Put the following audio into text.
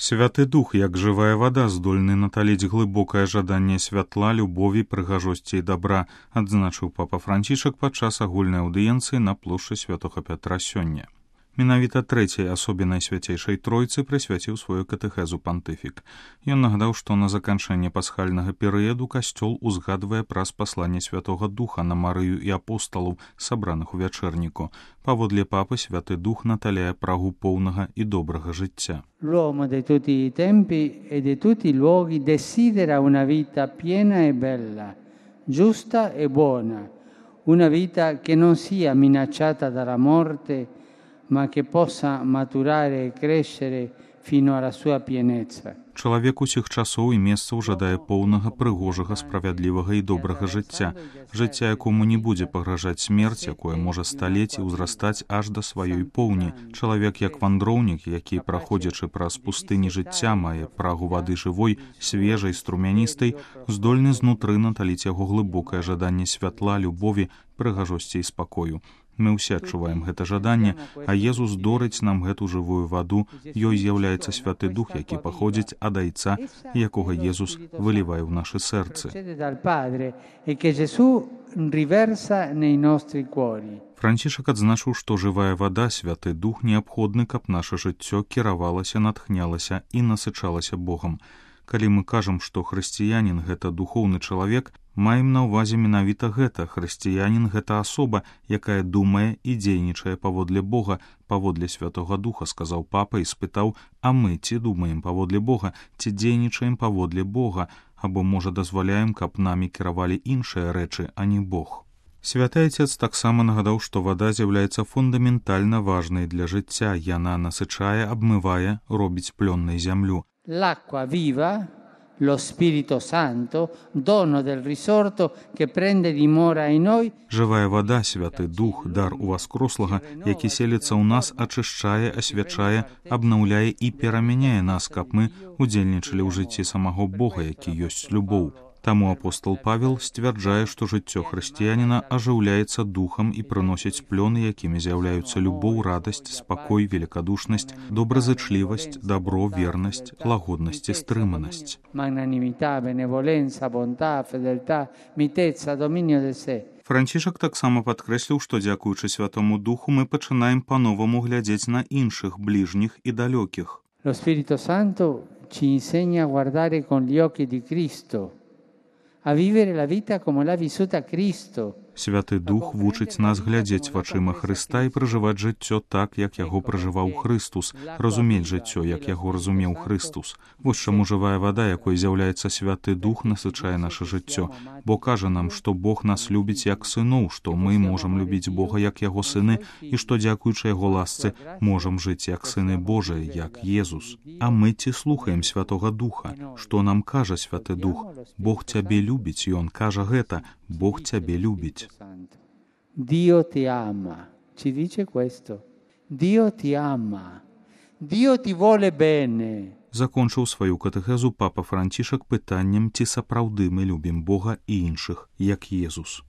Святы Дух, як жывая вада, здольны наталіць глыбокае жаданне святла, любові, прыгажосці і дабра, адзначыў папа Францішак падчас агульнай аўдыенцыі на плошчы Святога Пятра сёння. Менавіта трэцяй асобе Найсвяцейшай Тройцы прысвяціў сваю катэхезу пантыфік. Ён нагадаў, што на заканчэнне пасхальнага перыяду касцёл узгадвае праз пасланне Святога Духа на Марыю і апосталаў, сабраных у вячэрніку. Паводле папы, Святы Дух наталяе прагу поўнага і добрага жыцця. L'uomo di tutti i tempi e di tutti i luoghi desidera una vita piena e bella, giusta e buona, una vita che non sia minacciata dalla morte, ma che possa maturare e crescere fino alla sua pienezza. Чалавек усіх часоў і месцаў жадае поўнага, прыгожага, справядлівага і добрага жыцця, жыцця, якому не будзе пагражаць смерць, якое можа сталець і ўзрастаць аж да сваёй поўні. Чалавек, як вандроўнік, які, праходзячы праз пустыні жыцця, мае прагу вады жывой, свежай, струмяністай, здольны знутры наталіць яго глыбокае жаданне святла, любові, прыгажосці і спакою. Мы ўсе адчуваем гэта жаданне, а Езус дорыць нам гэту жывую ваду, ёй з'яўляецца Святы Дух, які паходзіць ад Айца, якога Езус вылівае ў нашы сэрцы. Францішак адзначыў, што жывая вада, Святы Дух, неабходны, каб наша жыццё кіравалася, натхнялася і насычалася Богам. Калі мы кажам, што хрысціянін – гэта духоўны чалавек, маем на ўвазе менавіта гэта. Хрысціянін – гэта асоба, якая думае і дзейнічае паводле Бога, паводле Святога Духа, сказаў папа і спытаў, а мы ці думаем паводле Бога, ці дзейнічаем паводле Бога, або, можа, дазваляем, каб намі кіравалі іншыя рэчы, а не Бог. Святы Отец таксама нагадаў, што вада з'яўляецца фундаментальна важнай для жыцця. Яна насычае, абмывае, робіць плённай зямлю. L'acqua viva, lo Spirito Santo, dono del risorto che prende dimora in noi. Жывая вада, Святы Дух, дар уваскрослага, які селіцца ў нас, ачышчае, асвячае, абнаўляе і перамяняе нас, каб мы удзельнічалі ў жыцці самого Бога, які ёсць любоў. Таму апостол Павел сцвярджае, што жыццё хрысціяніна ажыўляецца духам і прыносіць плёны, якімі з'яўляюцца любоў, радасць, спакой, великадушнасць, добразычлівасць, дабро, вернасць, лагоднасць і стрыманасць. Францішак таксама падкрэсліў, што дзякуючы Святому Духу мы пачынаем па-новаму глядзець на іншых, бліжніх і далёкіх. Lo Spirito Santo ci insegna a guardare con gli occhi di Cristo, a vivere la vita come l'ha vissuta Cristo. Святы Дух вучыць нас глядзець вачыма Хрыста і пражываць жыццё так, як яго пражываў Хрыстус, разумець жыццё, як яго разумеў Хрыстус. Вось чаму жывая вада, якой з'яўляецца Святы Дух, насычае наша жыццё, бо кажа нам, што Бог нас любіць як сыноў, што мы можам любіць Бога як яго сыны і што, дзякуючы яго ласцы, можам жыць як сыны Божыя, як Езус. А мы ці слухаем Святога Духа? Што нам кажа Святы Дух? Бог цябе любіць, Ён кажа гэта, Бог цябе любіць. Dio ti ama, ci dice questo. Dio ti ama. Dio ti vuole bene. Закончыў сваю катэхезу папа Францішак пытаннем, ці сапраўды мы любім Бога і іншых, як Езус.